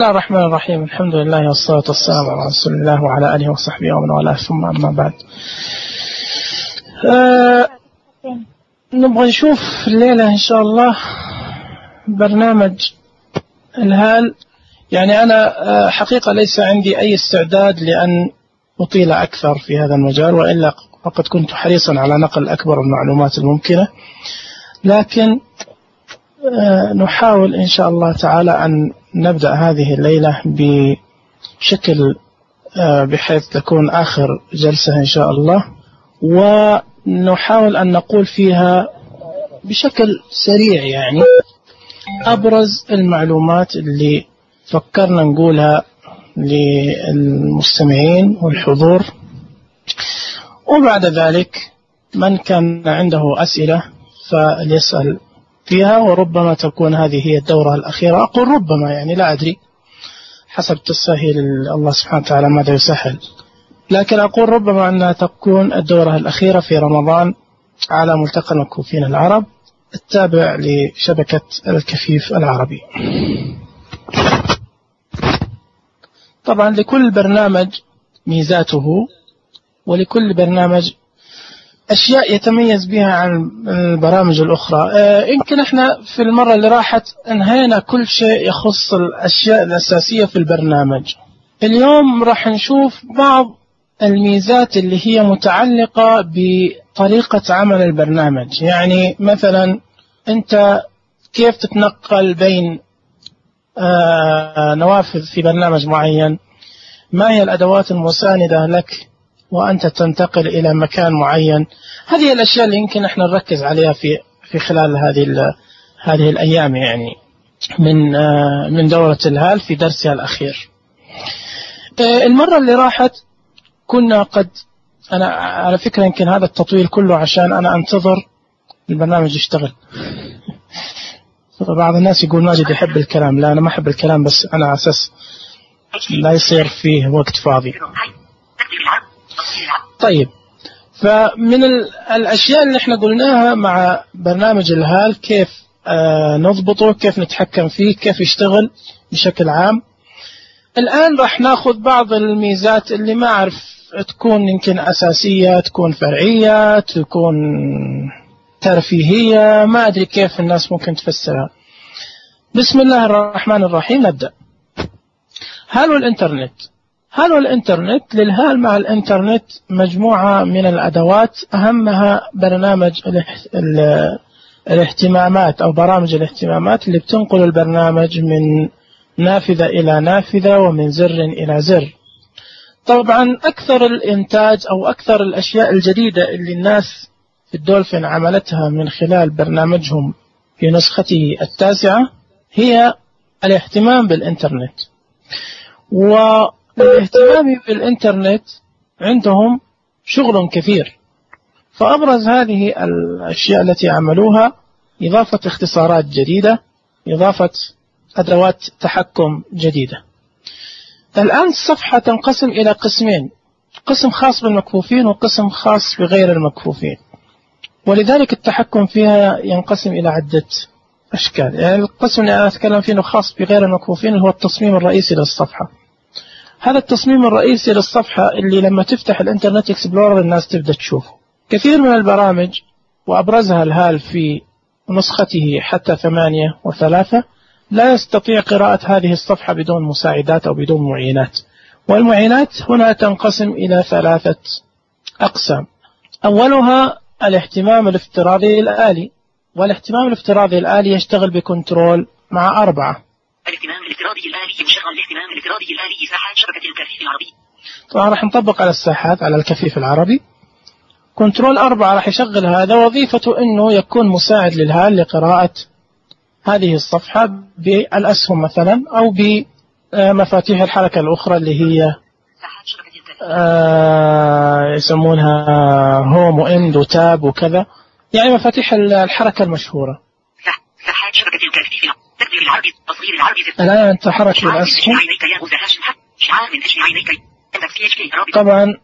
الله الرحمن الرحيم. الحمد لله والصلاة والسلام على رسول الله وعلى آله وصحبه ومن والاه، ثم أما بعد. نبغى نشوف الليلة إن شاء الله برنامج الهال. يعني أنا حقيقة ليس عندي أي استعداد لأن أطيل أكثر في هذا المجال، وإلا فقد كنت حريصا على نقل أكبر المعلومات الممكنة، لكن نحاول إن شاء الله تعالى أن نبدأ هذه الليلة بشكل بحيث تكون آخر جلسة إن شاء الله، ونحاول أن نقول فيها بشكل سريع يعني أبرز المعلومات اللي فكرنا نقولها للمستمعين والحضور، وبعد ذلك من كان عنده أسئلة فليسأل فيها، وربما تكون هذه هي الدورة الأخيرة. أقول ربما، يعني لا أدري، حسب تسهيل الله سبحانه وتعالى ماذا يسهل، لكن أقول ربما أنها تكون الدورة الأخيرة في رمضان على ملتقى المكفوفين العرب التابع لشبكة الكفيف العربي. طبعا لكل برنامج ميزاته، ولكل برنامج أشياء يتميز بها عن البرامج الأخرى. يمكن احنا في المرة اللي راحت انهينا كل شيء يخص الأشياء الأساسية في البرنامج. اليوم راح نشوف بعض الميزات اللي هي متعلقة بطريقة عمل البرنامج. يعني مثلا أنت كيف تتنقل بين نوافذ في برنامج معين، ما هي الأدوات المساندة لك وأنت تنتقل إلى مكان معين. هذه الأشياء اللي يمكن احنا نركز عليها في خلال هذه الأيام، يعني من دورة الهال في درسها الأخير. المرة اللي راحت كنا أنا على فكرة يمكن هذا التطويل كله عشان أنا أنتظر البرنامج يشتغل. بعض الناس يقول ماجد يحب الكلام. لا، أنا ما أحب الكلام، بس أنا على أساس لا يصير فيه وقت فاضي. طيب، فمن الأشياء اللي احنا قلناها مع برنامج الهال كيف نضبطه، كيف نتحكم فيه، كيف يشتغل بشكل عام. الآن راح ناخذ بعض الميزات اللي ما أعرف تكون يمكن أساسية، تكون فرعية، تكون ترفيهية، ما أدري كيف الناس ممكن تفسرها. بسم الله الرحمن الرحيم. نبدأ. هال والإنترنت. هال والإنترنت، للهال مع الإنترنت مجموعة من الأدوات، أهمها برنامج الاهتمامات أو برامج الاهتمامات اللي بتنقل البرنامج من نافذة إلى نافذة ومن زر إلى زر. طبعا أكثر الإنتاج أو أكثر الأشياء الجديدة اللي الناس في الدولفين عملتها من خلال برنامجهم في نسخته 9 هي الاهتمام بالإنترنت. والاهتمام بالإنترنت عندهم شغل كثير، فأبرز هذه الأشياء التي عملوها إضافة اختصارات جديدة، إضافة أدوات تحكم جديدة. الآن الصفحة تنقسم إلى قسمين، قسم خاص بالمكفوفين وقسم خاص بغير المكفوفين، ولذلك التحكم فيها ينقسم إلى عدة أشكال. يعني القسم اللي أنا أتكلم فيه خاص بغير المكفوفين هو التصميم الرئيسي للصفحة. هذا التصميم الرئيسي للصفحة اللي لما تفتح الإنترنت إكسبلورر الناس تبدأ تشوفه. كثير من البرامج وأبرزها الهال في نسخته حتى 8 و3 لا يستطيع قراءة هذه الصفحة بدون مساعدات أو بدون معينات. والمعينات هنا تنقسم إلى 3 أقسام. أولها الاهتمام الافتراضي الآلي، والاهتمام الافتراضي الآلي يشتغل بكنترول مع 4. الاهتمام الافتراضي الآلي يشغل الاهتمام الافتراضي الآلي ساحات شبكة الكفيف العربي. طبعا راح نطبق على الساحات على الكفيف العربي. كنترول 4 راح يشغل هذا، وظيفته أنه يكون مساعد للهال لقراءة هذه الصفحة بالأسهم مثلا، أو بمفاتيح الحركة الأخرى اللي هي يسمونها هوم وإند وتاب وكذا، يعني مفاتيح الحركة المشهورة. ساحات شبكة الكفيف تكبير العربي، تصغير العربي. الآن تحرك بالأسهم. طبعا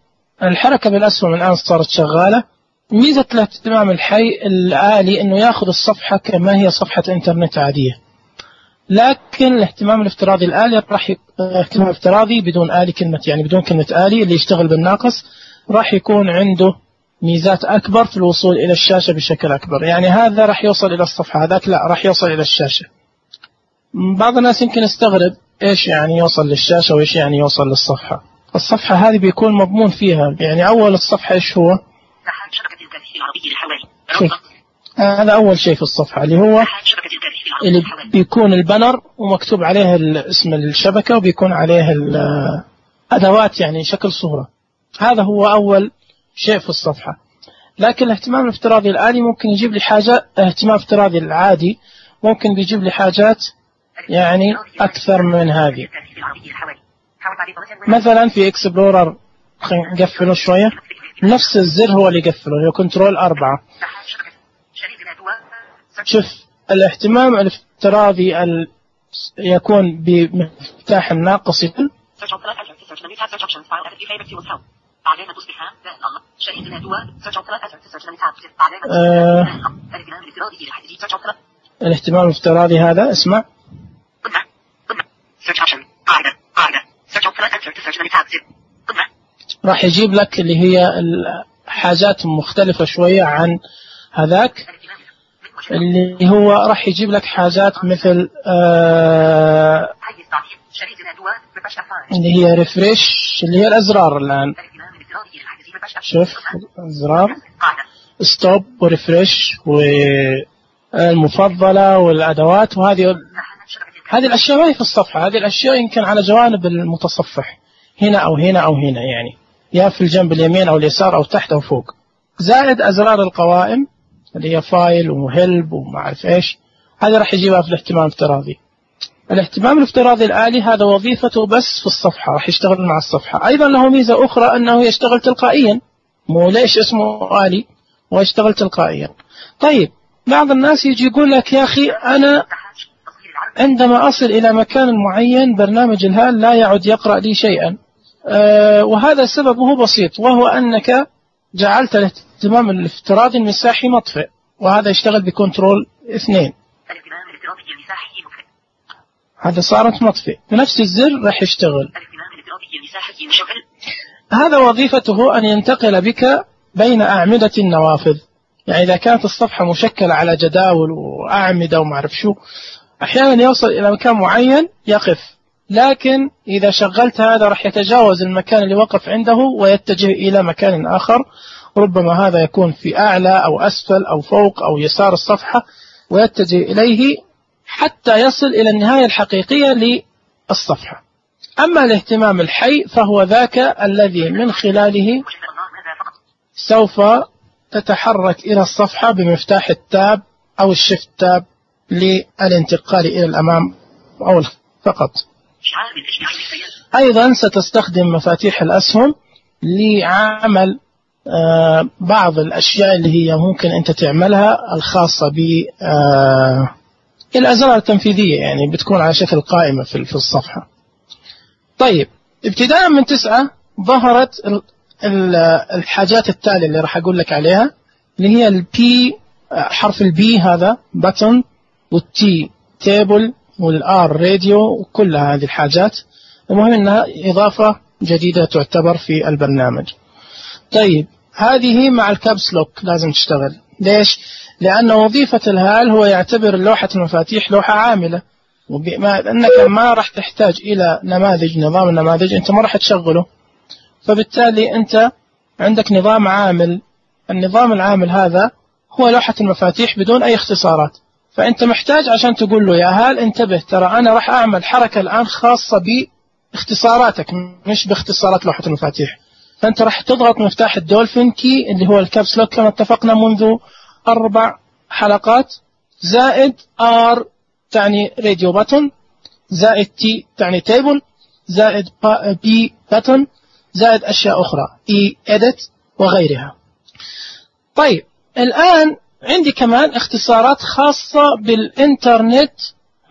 الحركة بالأسهم الآن صارت شغالة. ميزة الاهتمام الحي الآلي أنه يأخذ الصفحة كما هي صفحة إنترنت عادية، لكن الاهتمام الافتراضي الآلي راح اهتمام افتراضي بدون آلي، كلمة يعني بدون كلمة آلي، اللي يشتغل بالناقص راح يكون عنده ميزات أكبر في الوصول إلى الشاشة بشكل أكبر. يعني هذا راح يوصل إلى الصفحة، هذاك لا راح يوصل إلى الشاشة. بعض الناس يمكن يستغرب إيش يعني يوصل للشاشة وإيش يعني يوصل للصفحة. الصفحة هذه بيكون مضمون فيها، يعني أول الصفحة إيش هو؟ شوف هذا أول شيء في الصفحة اللي هو اللي بيكون البنر ومكتوب عليه اسم الشبكة وبيكون عليه الأدوات يعني شكل صورة. هذا هو أول شيء في الصفحة. لكن الاهتمام الافتراضي الآلي ممكن يجيب لي حاجة، اهتمام افتراضي العادي ممكن بيجيب لي حاجات يعني أكثر من هذه. مثلا في اكسبلورر، خلينا نقفله شوية، نفس الزر هو اللي يقفله، هو كنترول 4. شوف الاهتمام الافتراضي يكون بمفتاح الناقص الاهتمام الافتراضي هذا اسمع راح يجيب لك اللي هي الحاجات مختلفة شوية عن هذاك، اللي هو راح يجيب لك حاجات مثل اللي هي ريفريش، اللي هي الأزرار. الآن شوف أزرار ستوب وريفريش والمفضلة والأدوات، وهذه الأشياء ما هي في الصفحة، هذه الأشياء يمكن على جوانب المتصفح هنا أو هنا أو هنا، يعني يا في الجنب اليمين أو اليسار أو تحت أو فوق. زائد أزرار القوائم اللي هي فايل وهلب وما أعرف إيش، هذا راح يجيبها في الاهتمام الافتراضي. الاهتمام الافتراضي الآلي هذا وظيفته بس في الصفحة، راح يشتغل مع الصفحة. أيضا له ميزة أخرى أنه يشتغل تلقائيا، مو ليش اسمه آلي ويشتغل تلقائيا. طيب بعض الناس يجي يقول لك يا أخي أنا عندما أصل إلى مكان معين برنامج الهال لا يعد يقرأ لي شيئا، وهذا سببه بسيط، وهو أنك جعلت الاهتمام الافتراضي المساحي مطفئ، وهذا يشتغل بكنترول 2. هذا صارت مطفئ، بنفس الزر راح يشتغل. هذا وظيفته أن ينتقل بك بين أعمدة النوافذ. يعني إذا كانت الصفحة مشكلة على جداول وأعمدة وما أعرف شو، أحيانا يوصل إلى مكان معين يقف، لكن إذا شغلت هذا راح يتجاوز المكان اللي وقف عنده ويتجه إلى مكان آخر، ربما هذا يكون في أعلى أو أسفل أو فوق أو يسار الصفحة، ويتجه إليه حتى يصل إلى النهاية الحقيقية للصفحة. أما الاهتمام الحي فهو ذاك الذي من خلاله سوف تتحرك إلى الصفحة بمفتاح التاب أو الشيفت تاب للانتقال إلى الأمام أو فقط. أيضا ستستخدم مفاتيح الأسهم لعمل بعض الأشياء اللي هي ممكن أنت تعملها الخاصة بالأزرار التنفيذية، يعني بتكون على شكل قائمة في الصفحة. طيب ابتداء من 9 ظهرت الحاجات التالية اللي راح أقول لك عليها، اللي هي البي، حرف البي هذا بutton، والتي تيبل، والآر راديو، وكل هذه الحاجات. المهم أنها إضافة جديدة تعتبر في البرنامج. طيب هذه مع الكابس لوك لازم تشتغل. ليش؟ لأن وظيفة الهال هو يعتبر لوحة المفاتيح لوحة عاملة، وأنك ما راح تحتاج إلى نماذج، نظام النماذج أنت ما راح تشغله، فبالتالي أنت عندك نظام عامل. النظام العامل هذا هو لوحة المفاتيح بدون أي اختصارات. فأنت محتاج عشان تقول له يا هال انتبه، ترى أنا راح أعمل حركة الآن خاصة باختصاراتك مش باختصارات لوحة المفاتيح. فأنت راح تضغط مفتاح الدولفين كي اللي هو الكابس لوك كما اتفقنا منذ 4 حلقات، زائد R تعني راديو باتون، زائد T تعني تيبل، زائد B باتون، زائد أشياء أخرى E edit وغيرها. طيب الآن عندي كمان اختصارات خاصة بالإنترنت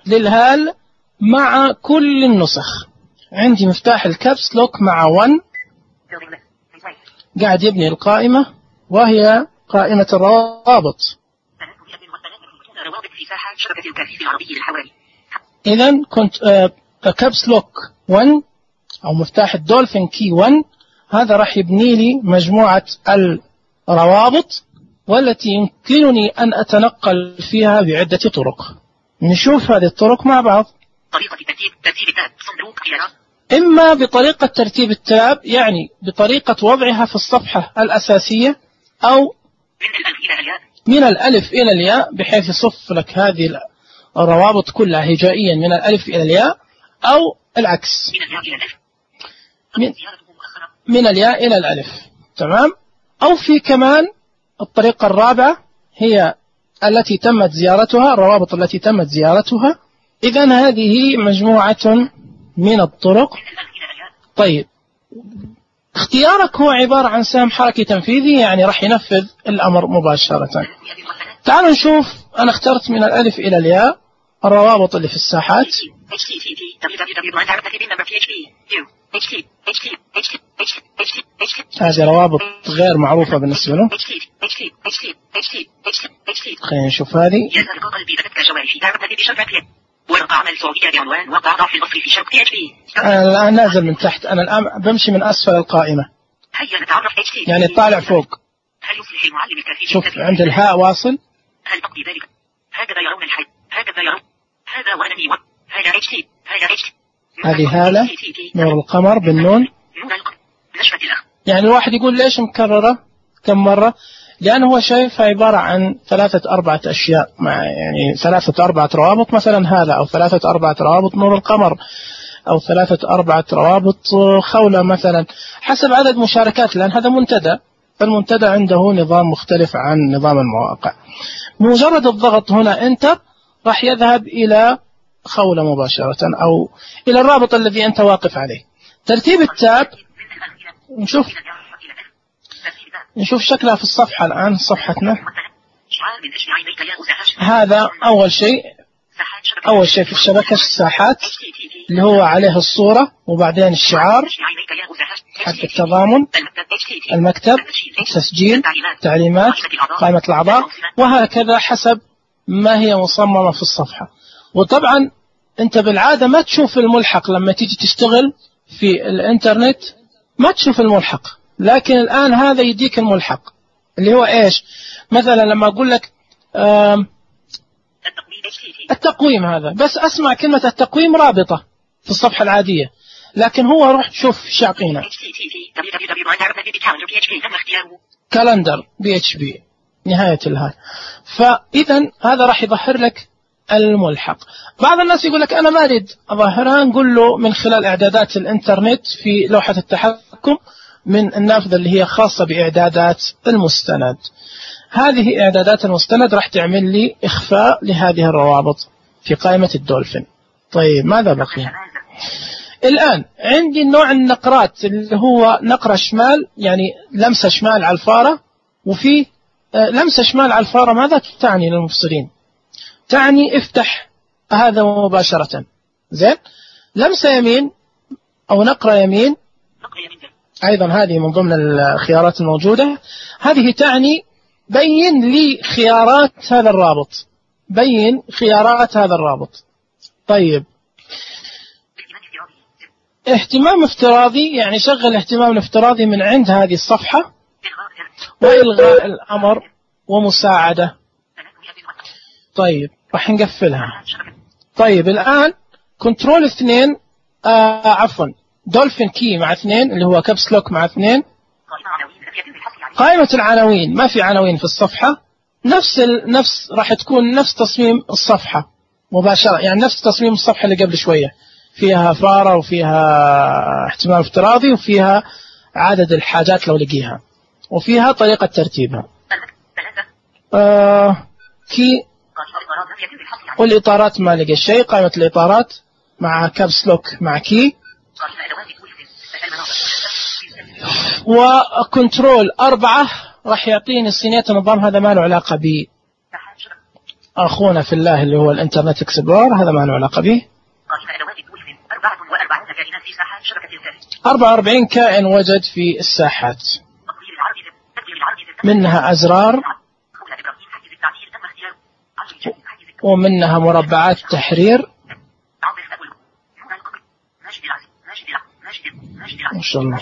للهال مع كل النسخ. عندي مفتاح الكابس لوك مع 1 قاعد يبني القائمة، وهي قائمة الروابط. إذن كنت كابس لوك 1 أو مفتاح الدولفين كي 1 هذا راح يبني لي مجموعة الروابط والتي يمكنني أن أتنقل فيها بعدة طرق. نشوف هذه الطرق مع بعض. طريقة ترتيب التاب صندوق خيارات. إما بطريقة ترتيب التاب يعني بطريقة وضعها في الصفحة الأساسية أو من الألف إلى الياء بحيث يصف لك هذه الروابط كلها هجائيا من الألف إلى الياء أو العكس من الياء إلى الألف. تمام. أو في كمان الطريقة الرابعة هي التي تمت زيارتها الروابط التي تمت زيارتها. إذن هذه مجموعة من الطرق. طيب اختيارك هو عبارة عن سهم حركي تنفيذي يعني راح ينفذ الأمر مباشرة. تعالوا نشوف. أنا اخترت من الألف إلى الياء الروابط اللي في الساحات. هذه روابط غير معروفة بالنسبة له. خلينا نشوف هذه. أنا الآن نازل من تحت. أنا الآن بمشي من أسفل القائمة يعني طالع فوق. شوف عند الهاء واصل. هل تقضي ذلك؟ هكذا يرون الحي هكذا يرون هذا وأنني هذا HT هذا HT. هذه هالة نور القمر بالنون. يعني الواحد يقول ليش مكررة كم مرة؟ لأنه هو شايفها عبارة عن 3-4 أشياء مع يعني 3-4 روابط مثلا هالة أو 3-4 روابط نور القمر أو 3-4 روابط خولة مثلا حسب عدد مشاركات لأن هذا منتدى. فالمنتدى عنده نظام مختلف عن نظام المواقع. بمجرد الضغط هنا انتر راح يذهب إلى خولة مباشرة أو إلى الرابط الذي أنت واقف عليه. ترتيب التاب نشوف شكلها في الصفحة الآن صفحتنا. هذا أول شيء في الشبكة الساحات اللي هو عليه الصورة وبعدين الشعار حق التضامن المكتب تسجيل تعليمات قائمة الأعضاء وهكذا حسب ما هي مصممة في الصفحة. وطبعا أنت بالعادة ما تشوف الملحق لما تيجي تشتغل في الإنترنت ما تشوف الملحق لكن الآن هذا يديك الملحق اللي هو إيش مثلا لما أقول لك التقويم هذا بس أسمع كلمة التقويم رابطة في الصفحة العادية لكن هو روح شوف شاقينا كالندر PHP نهاية الهاي. فإذا هذا راح يظهر لك الملحق. بعض الناس يقول لك أنا ما أريد أظهرها نقول له من خلال إعدادات الإنترنت في لوحة التحكم من النافذة اللي هي خاصة بإعدادات المستند. هذه إعدادات المستند راح تعمل لي إخفاء لهذه الروابط في قائمة الدولفين. طيب ماذا بقي الآن؟ عندي نوع النقرات اللي هو نقرة شمال يعني لمسة شمال على الفارة وفي لمسة شمال على الفارة. ماذا تعني للمفصلين؟ تعني افتح هذا مباشرة. زين. لمسة يمين أو نقرة يمين أيضا هذه من ضمن الخيارات الموجودة. هذه تعني بين لي خيارات هذا الرابط. بين خيارات هذا الرابط. طيب اهتمام افتراضي يعني شغل اهتمام الافتراضي من عند هذه الصفحة وإلغاء الأمر ومساعدة. طيب راح نقفلها. طيب الآن كنترول 2 عفوا دولفين كي مع 2 اللي هو كابس لوك مع 2. قائمة العناوين ما في عناوين في الصفحة. نفس راح تكون نفس تصميم الصفحة مباشرة يعني نفس تصميم الصفحة اللي قبل شوية فيها فارة وفيها اهتمام افتراضي وفيها عدد الحاجات لو لقيها وفيها طريقة ترتيبها. كي والإطارات ما لقى شيء. قائمة الإطارات مع كابس لوك مع كي وكنترول 4 راح يعطيني صينية النظام. هذا ما له علاقة ب أخونا في الله اللي هو الانترنت اكسبلور هذا ما له علاقة به. 44 كائن وجد في الساحات منها أزرار ومنها مربعات تحرير ما شاء الله.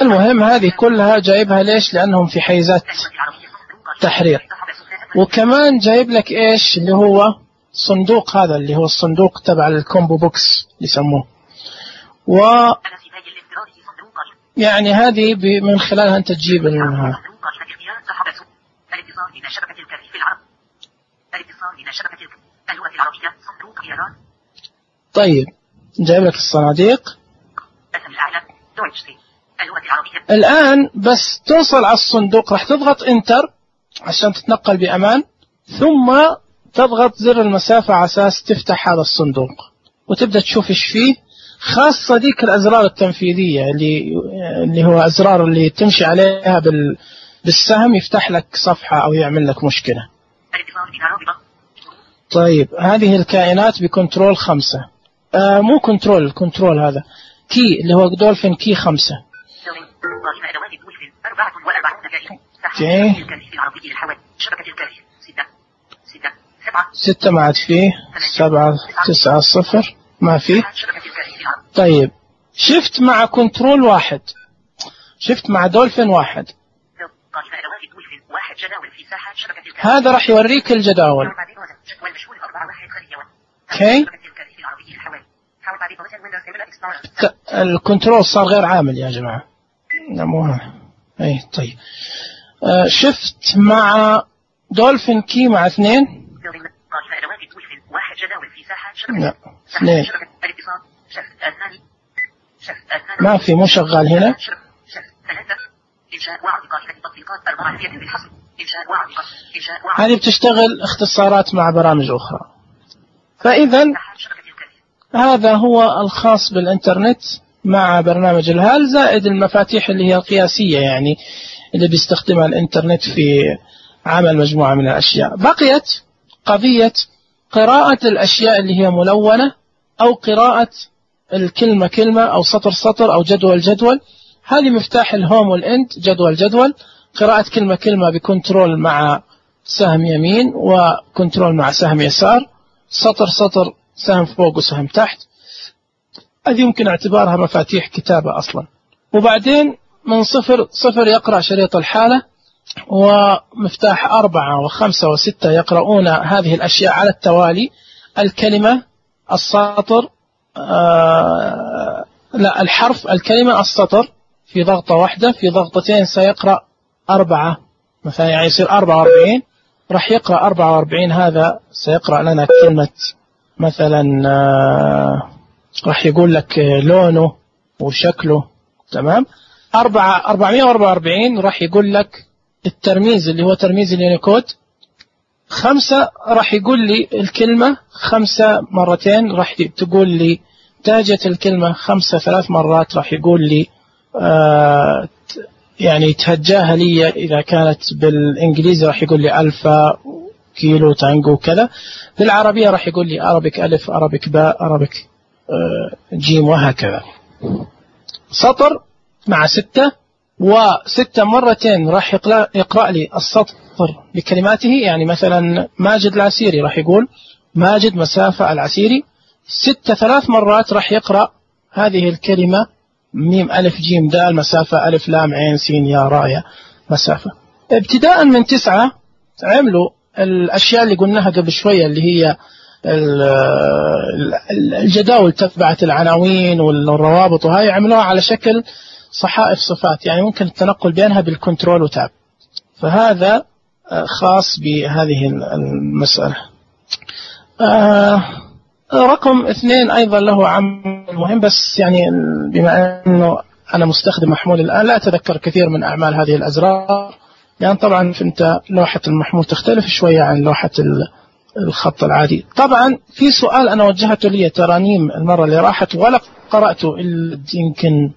المهم هذه كلها جايبها ليش؟ لأنهم في حيزات تحرير. وكمان جايب لك إيش اللي هو صندوق، هذا اللي هو الصندوق تبع الكومبو بوكس يسموه. يعني هذه من خلالها أنت تجيب منها. طيب جايب لك الصناديق. الآن بس توصل على الصندوق راح تضغط انتر عشان تتنقل بأمان، ثم تضغط زر المسافة على أساس تفتح هذا الصندوق وتبدأ تشوف إيش فيه، خاصة ديك الأزرار التنفيذية اللي هو أزرار اللي تمشي عليها بالسهم يفتح لك صفحة أو يعمل لك مشكلة. طيب هذه الكائنات بكنترول 5، مو كنترول هذا كي اللي هو دولفين كي 5. اوكي 6 ما عاد فيه، 7 9 0 ما فيه. طيب شفت مع كنترول 1، شفت مع دولفين 1، هذا راح يوريك الجداول. اوكي الكنترول صار غير عامل يا جماعة. اي طيب شفت مع دولفين كي مع 2، لا 2 ما في، مو شغال هنا. هذه بتشتغل اختصارات مع برامج أخرى. فإذا هذا هو الخاص بالإنترنت مع برنامج الهال، زائد المفاتيح اللي هي القياسية يعني اللي بيستخدمها الإنترنت في عمل مجموعة من الأشياء. بقيت قضية قراءة الأشياء اللي هي ملونة، أو قراءة الكلمة كلمة، أو سطر سطر، أو جدول جدول. هذه مفتاح الهوم والإند، جدول قراءة كلمة كلمة بكنترول مع سهم يمين وكنترول مع سهم يسار، سطر سطر سهم فوق وسهم تحت. هذه يمكن اعتبارها مفاتيح كتابة أصلا. وبعدين من 0 يقرأ شريط الحالة، ومفتاح 4 و5 و6 يقرؤون هذه الأشياء على التوالي. الكلمة، السطر، لا الحرف، الكلمة، السطر في ضغطة واحدة. في ضغطتين سيقرأ 4 مثلا، يعني يصير 44، راح يقرأ 44. هذا سيقرأ لنا كلمة مثلا، راح يقول لك لونه وشكله، تمام. 444 راح يقول لك الترميز اللي هو ترميز اليونيكود. 5 راح يقول لي الكلمة 5 مرتين، راح تقول لي تاجت الكلمة 5 3 مرات، راح يقول لي يعني تهجاها لي. إذا كانت بالإنجليزي راح يقول لي ألفا كيلو تانجو كذا. بالعربية راح يقول لي أربك ألف، أربك باء، أربك جيم، وهكذا. سطر مع 6 و6 مرتين راح يقرأ لي السطر بكلماته. يعني مثلا ماجد العسيري راح يقول ماجد مسافة العسيري. 6 3 مرات راح يقرأ هذه الكلمة ميم ألف جيم دال مسافة ألف لام عين سين يا رايا مسافة. ابتداء من 9 عملوا الأشياء اللي قلناها قبل شوية، اللي هي الجداول تبعت العناوين والروابط، وهاي عملوها على شكل صحائف صفات، يعني ممكن التنقل بينها بالكنترول وتاب. فهذا خاص بهذه المسألة. رقم 2 أيضا له عمل مهم، بس يعني بما أنه أنا مستخدم محمول الآن لا أتذكر كثير من أعمال هذه الأزرار، يعني طبعا فأنت لوحة المحمول تختلف شوية عن لوحة الخط العادي. طبعا في سؤال أنا وجهته لي ترانيم المرة اللي راحت ولا قرأته إلا يمكن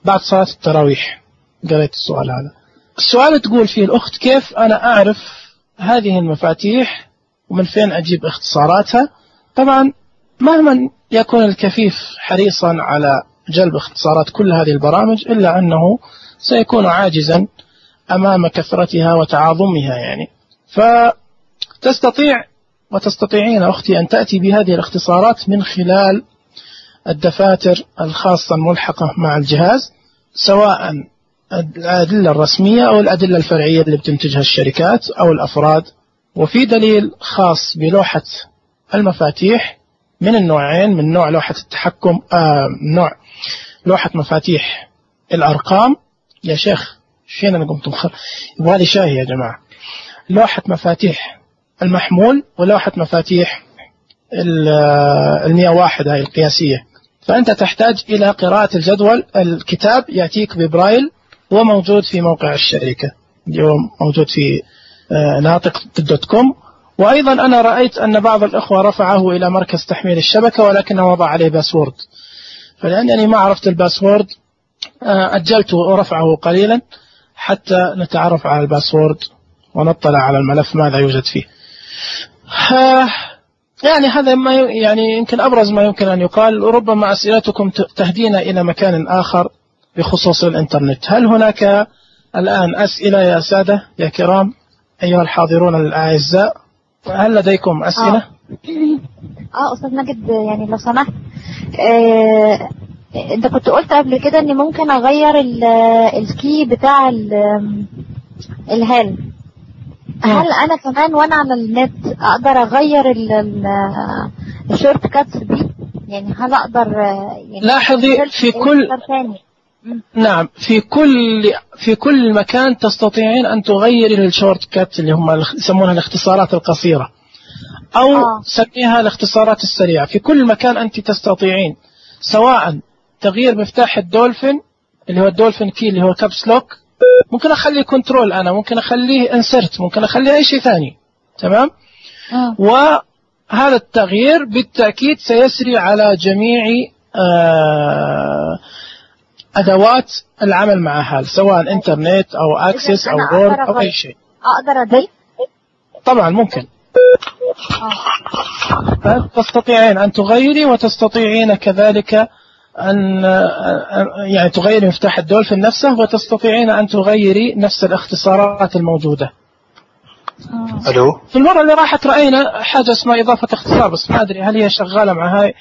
بعد صلاة التراويح قرأت السؤال هذا. السؤال تقول فيه الأخت كيف أنا أعرف هذه المفاتيح ومن فين أجيب اختصاراتها. طبعا مهما يكون الكفيف حريصا على جلب اختصارات كل هذه البرامج، إلا أنه سيكون عاجزا أمام كثرتها وتعاظمها يعني. فتستطيع وتستطيعين أختي أن تأتي بهذه الاختصارات من خلال الدفاتر الخاصة الملحقة مع الجهاز، سواء الأدلة الرسمية أو الأدلة الفرعية اللي بتنتجها الشركات أو الأفراد. وفي دليل خاص بلوحة المفاتيح من النوعين، من نوع لوحة التحكم نوع لوحة مفاتيح الأرقام. يا شيخ فين أنا قمت مخر، يبغالي شاهي يا جماعة. لوحة مفاتيح المحمول ولوحة مفاتيح 101 هاي القياسية. فأنت تحتاج إلى قراءة الجدول. الكتاب يأتيك ببرايل وموجود في موقع الشركة اليوم، موجود في ناطق.com. وأيضا أنا رأيت أن بعض الأخوة رفعه إلى مركز تحميل الشبكة ولكنه وضع عليه باسورد، فلأنني ما عرفت الباسورد أجلته ورفعه قليلا حتى نتعرف على الباسورد ونطلع على الملف ماذا يوجد فيه. يعني هذا ما يعني يمكن أبرز ما يمكن أن يقال. وربما أسئلتكم تهدينا إلى مكان آخر بخصوص الإنترنت. هل هناك الآن أسئلة يا سادة يا كرام أيها الحاضرون الأعزاء؟ هل لديكم أسئلة؟ أستاذ ماجد، يعني لو سمحت، أنت كنت قلت قبل كده أني ممكن أغير الكي بتاع الهال. هل أنا كمان وأنا على النت أقدر أغير الشورت كاتس دي؟ يعني هل أقدر يعني لاحظي في كل مكان تستطيعين أن تغيري الشورت كات اللي هم يسمونها الاختصارات القصيرة أو سميها الاختصارات السريعة. في كل مكان أنت تستطيعين، سواء تغيير مفتاح الدولفين اللي هو الدولفين كي اللي هو كابس لوك، ممكن أخليه كنترول، أنا ممكن أخليه انسرت، ممكن أخليه أي شيء ثاني. تمام. وهذا التغيير بالتأكيد سيسري على جميع أدوات العمل مع هال، سواء إنترنت أو أكسس أو وورد أو أي شيء. أقدر أضيف؟ طبعا ممكن. تستطيعين أن تغيري وتستطيعين كذلك أن يعني تغيري مفتاح الدولفين نفسه، وتستطيعين أن تغيري نفس الاختصارات الموجودة. ألو. في المرة اللي راحت رأينا حاجة اسمها إضافة اختصار، بس ما أدري هل هي شغالة مع هاي.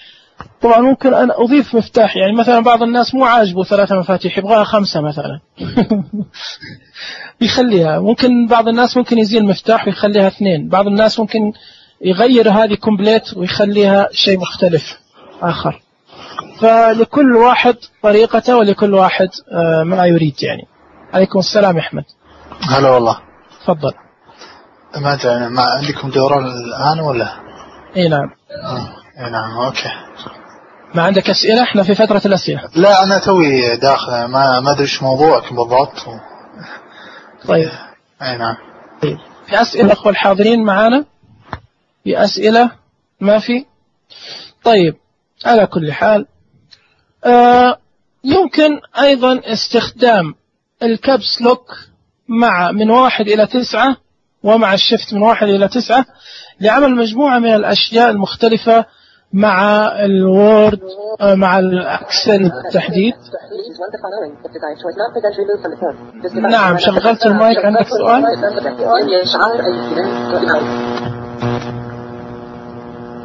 طبعا ممكن أن أضيف مفتاح، يعني مثلا بعض الناس مو عاجبه 3 مفاتيح يبغاها 5 مثلا يخليها. ممكن بعض الناس ممكن يزيل مفتاح ويخليها 2. بعض الناس ممكن يغير هذه كومبليت ويخليها شيء مختلف آخر. فلكل واحد طريقته ولكل واحد ما يريد. يعني عليكم السلام يا أحمد. هلا والله. تفضل. ما عندكم دوران الآن ولا؟ اي نعم. اي نعم. اوكي. ما عندك أسئلة؟ احنا في فترة الأسئلة. لا أنا توي داخل، ما أدري إيش موضوعك بالضبط. طيب. اي نعم. طيب. في أسئلة أخوة الحاضرين معانا؟ في أسئلة؟ ما في؟ طيب على كل حال يمكن أيضا استخدام الكابس لوك مع من 1 إلى 9 ومع الشفت من 1 إلى 9 لعمل مجموعة من الأشياء المختلفة مع الوورد مع الأكسل بالتحديد. نعم. شغلت المايك. عندك سؤال؟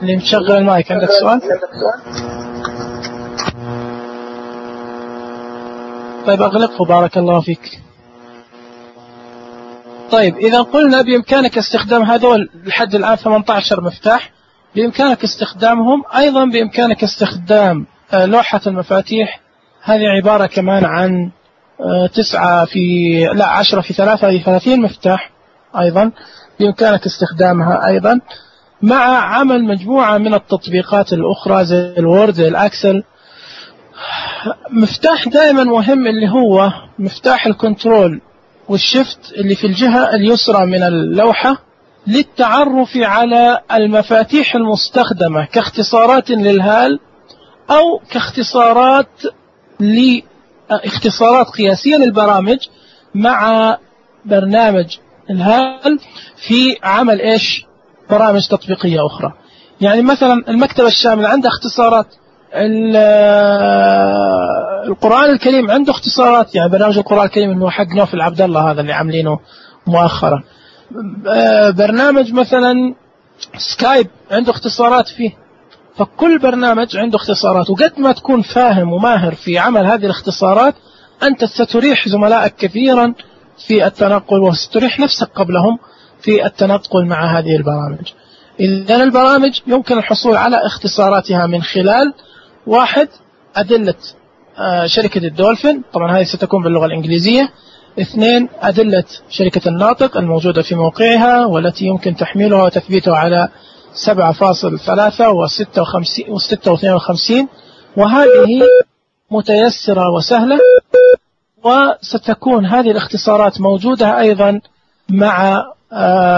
اللي مشغل المايك عندك سؤال؟ طيب أغلقه بارك الله فيك. طيب إذا قلنا بإمكانك استخدام هذول لحد الآن 18 مفتاح، بإمكانك استخدامهم. أيضا بإمكانك استخدام لوحة المفاتيح، هذه عبارة كمان عن 10 في 3 هذه 30 مفتاح. أيضا بإمكانك استخدامها أيضا مع عمل مجموعة من التطبيقات الأخرى زي الوورد زي الأكسل. مفتاح دائما مهم اللي هو مفتاح الكنترول والشفت اللي في الجهة اليسرى من اللوحة، للتعرف على المفاتيح المستخدمة كاختصارات للهال أو اختصارات قياسية للبرامج مع برنامج الهال في عمل برامج تطبيقية أخرى. يعني مثلا المكتبة الشاملة عنده اختصارات، القرآن الكريم عنده اختصارات، يعني برنامج القرآن الكريم اللي هو حق نوفل عبد الله هذا اللي عاملينه مؤخرا. برنامج مثلا سكايب عنده اختصارات فيه. فكل برنامج عنده اختصارات، وقد ما تكون فاهم وماهر في عمل هذه الاختصارات أنت ستريح زملائك كثيرا في التنقل، وستريح نفسك قبلهم في التنقل مع هذه البرامج. إذن البرامج يمكن الحصول على اختصاراتها من خلال: 1. أدلة شركة الدولفين، طبعا هذه ستكون باللغة الإنجليزية. 2. أدلة شركة الناطق الموجودة في موقعها والتي يمكن تحميلها وتثبيتها على 7.3 و56، وهذه متيسرة وسهلة. وستكون هذه الاختصارات موجودة أيضا مع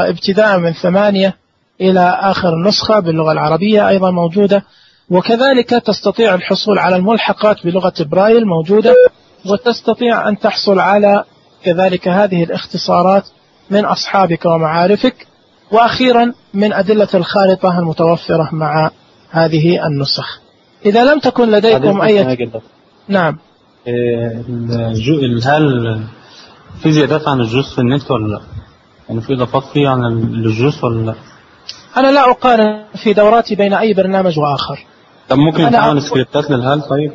ابتداء من 8 إلى آخر نسخة باللغة العربية أيضا موجودة. وكذلك تستطيع الحصول على الملحقات بلغة برايل موجودة، وتستطيع أن تحصل على كذلك هذه الاختصارات من أصحابك ومعارفك. وأخيرا من أدلة الخارطة المتوفرة مع هذه النسخ. إذا لم تكن لديكم أي نعم. هل في زيادات عن الجوز في النت ولا لا؟ يعني في إضافات فيه عن الجوز ولا لا؟ أنا لا أقارن في دوراتي بين أي برنامج وآخر. طب ممكن يتعمل سكريبتات للهال؟ طيب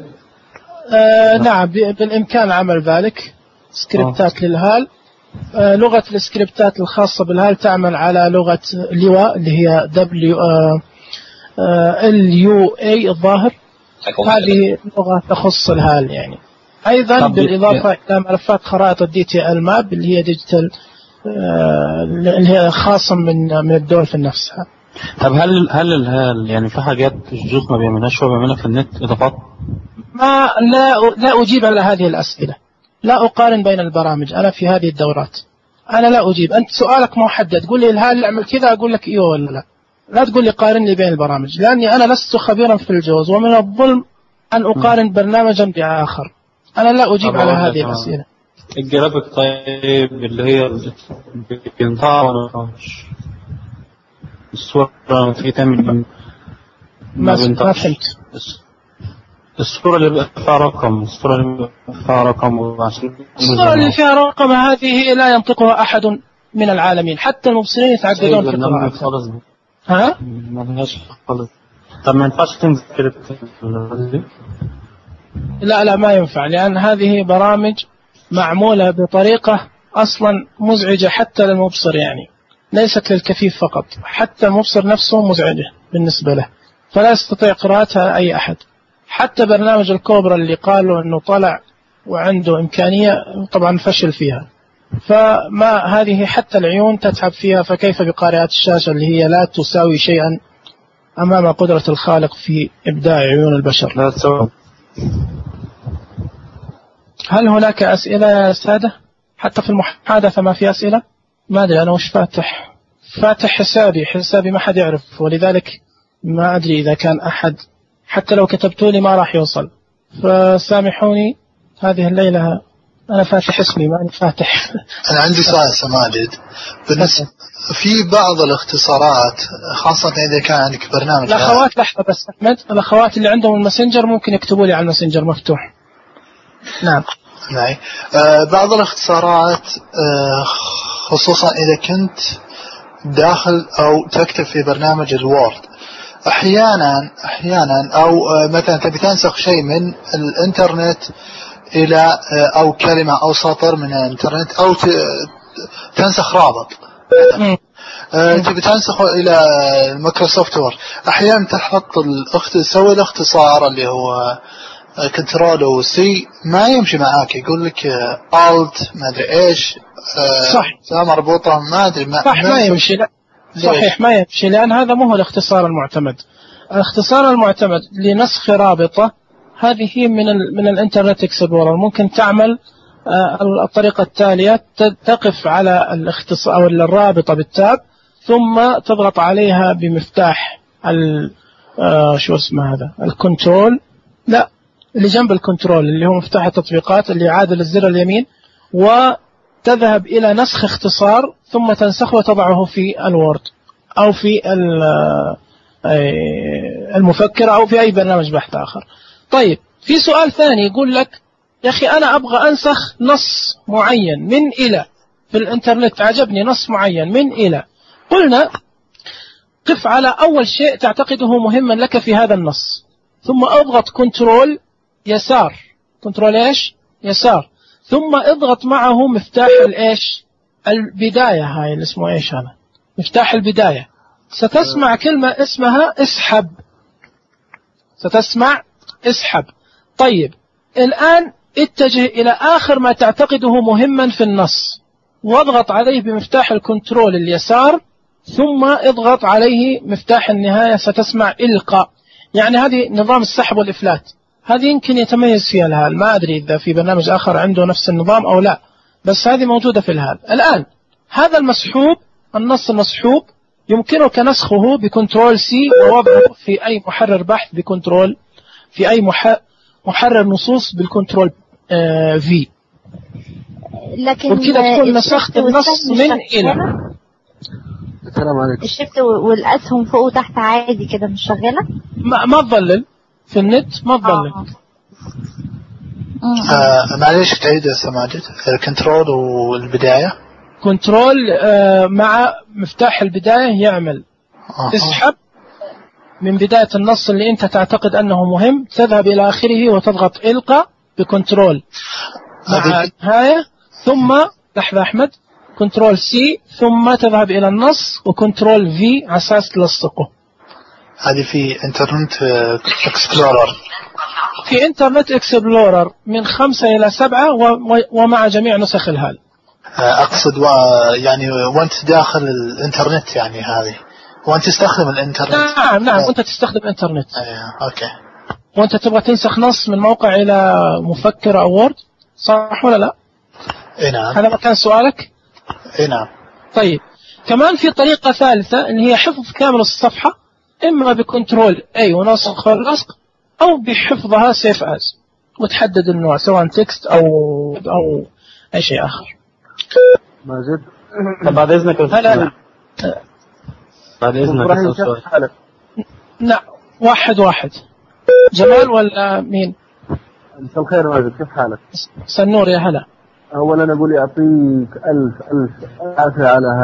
نعم بالإمكان عمل ذلك، سكريبتات للهال. لغة السكريبتات الخاصة بالهال تعمل على لغة لوا اللي هي LUA الظاهر، هذه لغة تخص الهال يعني. أيضا بالإضافة إلى ملفات خرائط DTL ماب اللي هي ديجيتال اللي هي خاصة من الدولفين نفسها. طب هل الهال يعني في حاجات الجوز ما بيعملهاش هو بيعملها في النت إضافات؟ لا أجيب على هذه الأسئلة، لا أقارن بين البرامج أنا في هذه الدورات. أنا لا أجيب، أنت سؤالك محدد، تقول لي الهال أعمل كذا أقول لك إيوه ولا لا. لا تقول لي قارن لي بين البرامج، لأني أنا لست خبيرا في الجوز، ومن الظلم أن أقارن برنامجا بآخر. أنا لا أجيب على هذه الأسئلة. الجرافيك طيب اللي هي بينطع ولا مش الصورة في تعمل ما فهمت. الصورة اللي بقى فيها رقم، الصورة اللي فيها رقم هذه لا ينطقها أحد من العالمين، حتى المبصرين يتعقدون في قراءتها. ها؟ ما خالص. طب ما ينفعش تنزل كده؟ لا ما ينفع، لأن هذه برامج معمولة بطريقة أصلا مزعجة حتى للمبصر، يعني ليست للكفيف فقط، حتى المبصر نفسه مزعجة بالنسبة له، فلا يستطيع قراءتها أي أحد. حتى برنامج الكوبرا اللي قالوا أنه طلع وعنده إمكانية طبعا فشل فيها. فما هذه حتى العيون تتعب فيها، فكيف بقارئات الشاشة اللي هي لا تساوي شيئا أمام قدرة الخالق في إبداع عيون البشر. لا تساوي. هل هناك أسئلة يا سادة؟ حتى في المحادثة ما في أسئلة؟ ما أدري أنا وش فاتح حسابي ما حد يعرف، ولذلك ما أدري إذا كان أحد، حتى لو كتبتوا لي ما راح يوصل، فسامحوني هذه الليلة أنا فاتح اسمي ما أنا فاتح. أنا عندي سؤال سماجد، بالنسبة في بعض الاختصارات خاصة إذا كان عندك برنامج. الأخوات لحظة بس أحمد، الأخوات اللي عندهم الماسنجر ممكن يكتبوا لي على الماسنجر مفتوح. نعم. بعض الاختصارات خصوصا إذا كنت داخل أو تكتب في برنامج الوورد أحيانا أو مثلا تبي تنسخ شيء من الإنترنت إلى أو كلمة أو سطر من الإنترنت أو تنسخ رابط تبي تنسخه إلى مايكروسوفت وورد، أحيانا تحط تسوي الاختصار اللي هو كنترول وسي ما يمشي معاك، يقول لك آلت ما أدري إيش صح مربوطة ما أدري ما يمشي. لا صحيح ما يمشي، لأن هذا مو هو الاختصار المعتمد. الاختصار المعتمد لنسخ رابطة هذه من الانترنت اكسبلورر. ممكن تعمل الطريقة التالية: تقف على الاختصار أو الرابطة بالتاب، ثم تضغط عليها بمفتاح شو اسمه هذا الكنترول، لا اللي جنب الكنترول اللي هو مفتاح التطبيقات اللي عادل الزر اليمين، وتذهب إلى نسخ اختصار ثم تنسخه وتضعه في الوورد أو في المفكرة أو في أي برنامج بحث آخر. طيب في سؤال ثاني يقول لك يا أخي أنا أبغى أنسخ نص معين من إلى في الإنترنت، عجبني نص معين من إلى. قلنا قف على أول شيء تعتقده مهما لك في هذا النص، ثم اضغط كنترول يسار، كنترول إيش؟ يسار، ثم اضغط معه مفتاح الإيش؟ البداية. هاي اللي اسمه إيش هذا؟ مفتاح البداية. ستسمع كلمة اسمها اسحب، ستسمع اسحب. طيب الآن اتجه إلى آخر ما تعتقده مهما في النص واضغط عليه بمفتاح الكنترول اليسار، ثم اضغط عليه مفتاح النهاية، ستسمع إلقاء. يعني هذه نظام السحب والإفلات، هذه يمكن يتميز فيها الهال، ما أدري إذا في برنامج آخر عنده نفس النظام أو لا، بس هذه موجودة في الهال. الآن هذا المسحوب، النص المسحوب يمكنك نسخه بكنترول سي ووضعه في أي محرر بحث بكنترول، في أي محرر نصوص بالكنترول في. لكن وبكذا تكون نسخت النص من إلى. السلام عليكم. الشفت والأسهم فوق وتحت عادي كده مش شغالة؟ ما تظلل في النت، ما تظلل. معليش تعيد يا سماجد الكنترول والبداية. كنترول مع مفتاح البداية يعمل تسحب من بداية النص اللي أنت تعتقد أنه مهم، تذهب إلى آخره وتضغط إلقاء بكنترول مع النهاية، ثم لحظة أحمد، كنترول سي، ثم تذهب إلى النص وكنترول في على أساس تلصقه. هذه في انترنت اكسبلورر. في انترنت اكسبلورر من 5 إلى 7 ومع جميع نسخ الهال. أقصد يعني وأنت داخل الانترنت، يعني هذه وأنت تستخدم الانترنت. نعم وأنت تستخدم انترنت. أوكي. وأنت تبغى تنسخ نص من موقع إلى مفكر أو وورد، صح ولا لا؟ نعم. هذا مكان سؤالك؟ نعم. طيب كمان في طريقة ثالثة اللي هي حفظ كامل الصفحة، إما بكنترول أي ونسخ واللصق، أو بحفظها سيف أز وتحدد النوع سواء تكست أو أي شيء آخر. ماجد. طب بعد إذنك هلا. بعد إذنك لا واحد. جمال ولا مين؟ مساء الخير ماجد، كيف حالك؟ سنور يا هلا. أولا أقول يعطيك ألف عافية على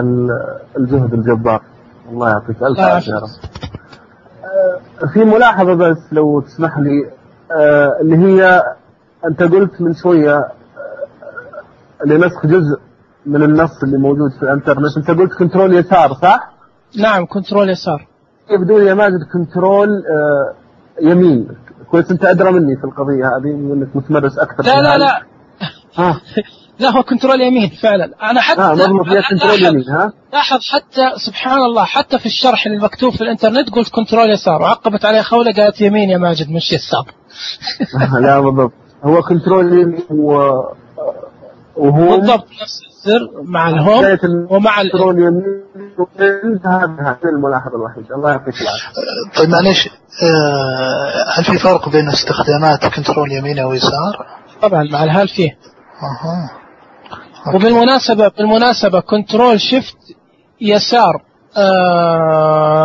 الجهد الجبار، الله يعطيك ألف عافية. في ملاحظة بس لو تسمح لي، اللي هي أنت قلت من شوية لنسخ جزء من النص اللي موجود في الانترنت، أنت قلت كنترول يسار صح؟ نعم كنترول يسار. يبدو لي يا ماجد كنترول يمين. كويس أنت أدرى مني في القضية هذه وأنك متمرس أكثر. لا لا هو كنترول يمين فعلا. أنا حتى مضبوط يا كنترول يمين. لاحظ حتى سبحان الله حتى في الشرح المكتوب في الانترنت قلت كنترول يسار وعقبت عليه خولة قالت يمين يا ماجد مش يسار. لا بالضبط هو كنترول يمين وهو بالضبط نفس الزر مع الهوم ومع كنترول يمين. هذا الملاحظة الوحيدة. الله يعطيك العافية. طيب معليش، هل في فرق بين استخدامات كنترول يمين أو يسار؟ طبعا مع الهال فيه. وبالمناسبة كنترول شيفت يسار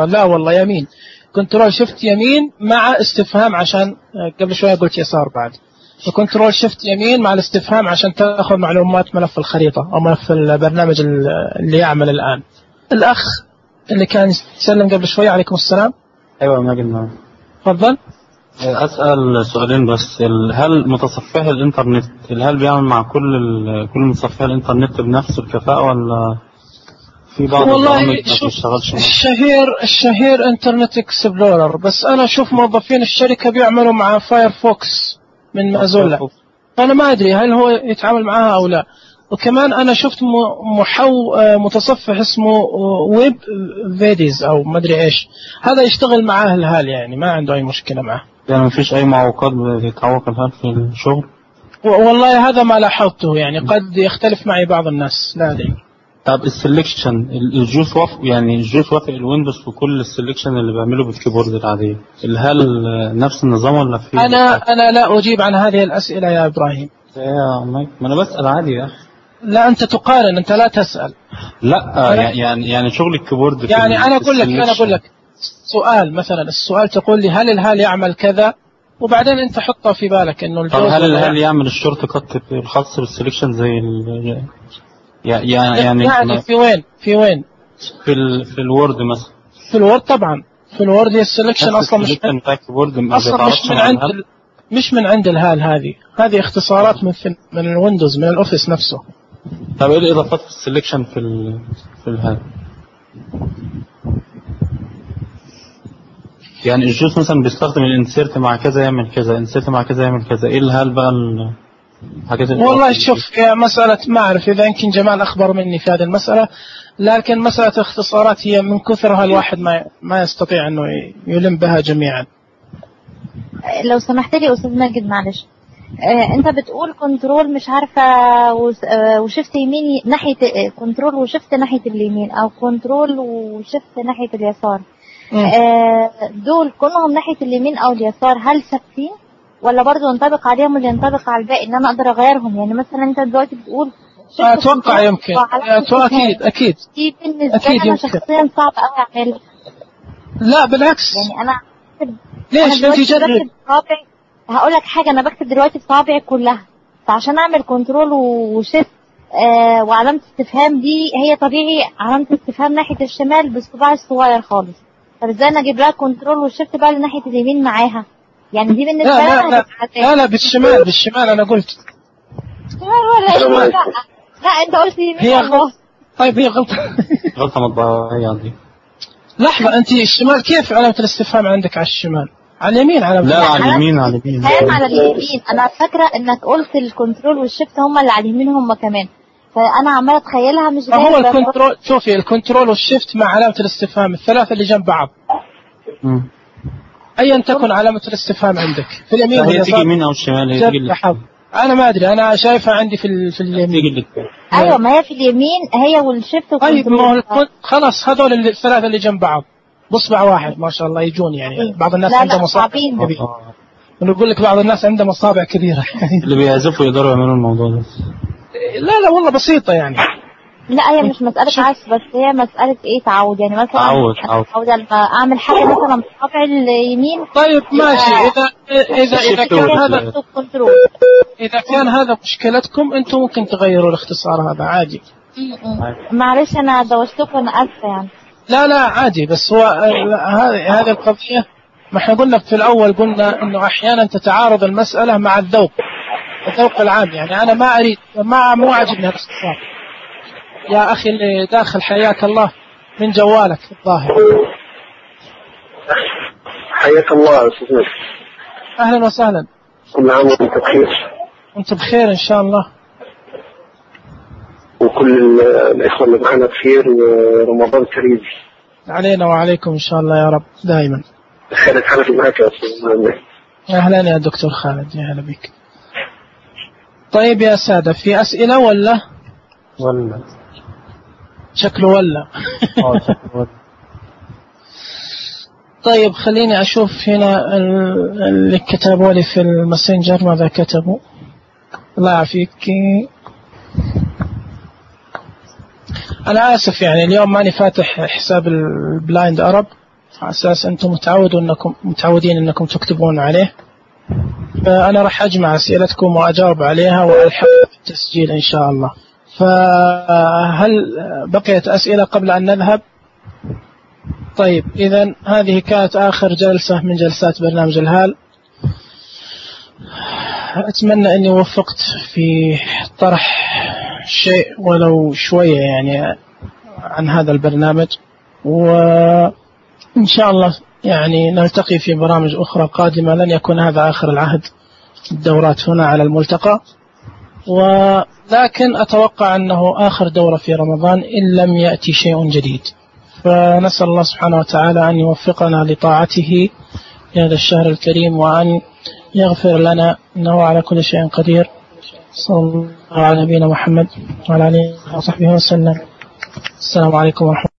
لا والله يمين. كنترول شيفت يمين مع استفهام عشان قبل شوية قلت يسار بعد. وكنترول شيفت يمين مع الاستفهام عشان تأخذ معلومات ملف الخريطة أو ملف البرنامج اللي يعمل الآن. الأخ اللي كان يسلم قبل شوية عليكم السلام. أيوة ماجد تفضل. أسأل سؤالين بس. هل متصفح الإنترنت هل بيعمل مع كل متصفح الإنترنت بنفس الكفاءة ولا في بعض البرامج ما بتشتغلش؟ الشهير إنترنت إكسبلورر، بس أنا أشوف موظفين الشركة بيعملوا مع فايرفوكس من مازولا، أنا ما أدري هل هو يتعامل معها أو لا. وكمان أنا شفت متصفح اسمه ويب فيديز أو ما أدري إيش، هذا يشتغل معاه الهال يعني ما عنده أي مشكلة معه. يعني ما فيش أي معوقات بتتعوق الهال في الشغل؟ والله هذا ما لاحظته يعني قد يختلف معي بعض الناس لا أدري. طب السلكشن الجوس يعني الجوس وافق الويندوز في كل السلكشن اللي بعمله بالكيبورد العادية، هل نفس النظام ولا في؟ أنا لا أجيب عن هذه الأسئلة يا إبراهيم. يا مايك ما أنا بسأل عادي يا أخي. لا أنت تقارن، أنت لا تسأل. لا يعني شغل الكيبورد يعني أنا أقول لك سؤال مثلا، السؤال تقول لي هل الهال يعمل كذا وبعدين أنت حطه في بالك إنه الجوز. هل الهال يعمل الشورت كات الخاص بالسلكشن زي يعني في وين؟ في الوورد مثلا. في الوورد طبعا، في الوورد السلكشن أصلا مش من عند الهال، هذه اختصارات من الويندوز، من الأوفيس نفسه. طب إيه الإضافات في السلكشن في الهال؟ يعني الجوس مثلا بيستخدم الانسيرت مع كذا يعمل كذا، انسيرت مع كذا يعمل كذا، ايه الهال بقى الحاجات والله شوف يا مسألة ما أعرف إذا يمكن جمال أخبر مني في هذه المسألة، لكن مسألة اختصارات هي من كثرها الواحد ما يستطيع أنه يلم بها جميعا. لو سمحت لي أستاذ ماجد معلش، أنت بتقول كنترول مش عارفة وشفت يمين ناحية كنترول وشفت ناحية اليمين، أو كنترول وشفت ناحية اليسار، دول كلهم ناحية اليمين أو اليسار هل ثابتين ولا برضو ينطبق عليهم اللي ينطبق على الباقي ان انا اقدر اغيرهم؟ يعني مثلا انت دلوقتي بتقول اتوقع يمكن اكيد دي بالنسبه لي انا شخصيا صعب قوي اعملها. لا بالعكس، يعني انا ليش انت جرب؟ هقول لك حاجه، انا بكتب دلوقتي بصوابعي كلها، فعشان اعمل كنترول وشيفت وعلامه استفهام دي هي طبيعي علامه استفهام ناحيه الشمال بالصباع الصغير خالص، طب ازاي انا اجيب لها كنترول وشيفت بقى لناحيه اليمين معاها؟ يعني دي بالنسبه لي لا بالشمال انا قلت لا انت قلت يمين. هي طيب هي غلطه مطبعيه دي. لحظه، انت الشمال كيف علامه الاستفهام عندك على الشمال؟ على اليمين على اليمين على اليمين. انا فاكره انك قلت الكنترول والشيفت هم اللي على اليمين هم كمان، فانا عماله اتخيلها مش زي هو الكنترول. شوفي الكنترول والشيفت مع علامه الاستفهام الثلاثه اللي جنب بعض، ايا تكن علامه الاستفهام عندك في اليمين هي تيجي يمين او الشمال، هي تيجي انا ما ادري، انا شايفها عندي في اليمين. ايوه ما هي في اليمين هي والشيفت والكنترول. طيب خلاص هذول الثلاثه اللي جنب بعض بصبع واحد ما شاء الله يجون، يعني بعض الناس عندهم مصابع كبيره، ونقول لك بعض الناس عندهم مصابع كبيره اللي بيعزفوا يقدروا يعملوا الموضوع ده. لا والله بسيطه يعني. لا هي مش مسألة عزف بس، هي مسألة ايه تعود، يعني مثلا تعود لما اعمل حاجة مثلا بصبع اليمين. طيب ماشي، اذا كان هذا مشكلتكم انتم ممكن تغيروا الاختصار هذا عادي. معلش انا دوشتكم انا اسفة يعني. لا عادي، بس هو هذه القضية ما احنا قلنا في الاول، قلنا انه احيانا تتعارض المسألة مع الذوق العام، يعني انا ما اريد مو عاجبني الاختصار. يا أخي اللي داخل حياك الله من جوالك الظاهر. حياك الله أستاذ. أهلا وسهلا. كل عام وأنت بخير. وأنت بخير إن شاء الله. وكل الإخوة اللي معنا بخير، ورمضان كريم علينا وعليكم إن شاء الله يا رب دائما. خالد حنفي معك يا أستاذ. أهلا يا دكتور خالد، يا هلا بك. طيب يا سادة، في أسئلة ولا شكله ولا طيب خليني أشوف هنا اللي كتبوا لي في الماسنجر ماذا كتبوا. الله يعافيك. أنا آسف يعني اليوم ماني فاتح حساب البلايند أرب على أساس أنتم متعودين أنكم تكتبون عليه، فأنا راح أجمع أسئلتكم وأجاوب عليها وألحق التسجيل إن شاء الله. فهل بقيت أسئلة قبل أن نذهب؟ طيب إذن هذه كانت آخر جلسة من جلسات برنامج الهال. أتمنى أني وفقت في طرح شيء ولو شوية يعني عن هذا البرنامج، وإن شاء الله يعني نلتقي في برامج أخرى قادمة. لن يكون هذا آخر العهد الدورات هنا على الملتقى، ولكن أتوقع أنه آخر دورة في رمضان إن لم يأتي شيء جديد. فنسأل الله سبحانه وتعالى أن يوفقنا لطاعته في هذا الشهر الكريم، وأن يغفر لنا إنه على كل شيء قدير. صلى الله على نبينا محمد وعلى آله وصحبه وسلم. السلام عليكم ورحمة الله.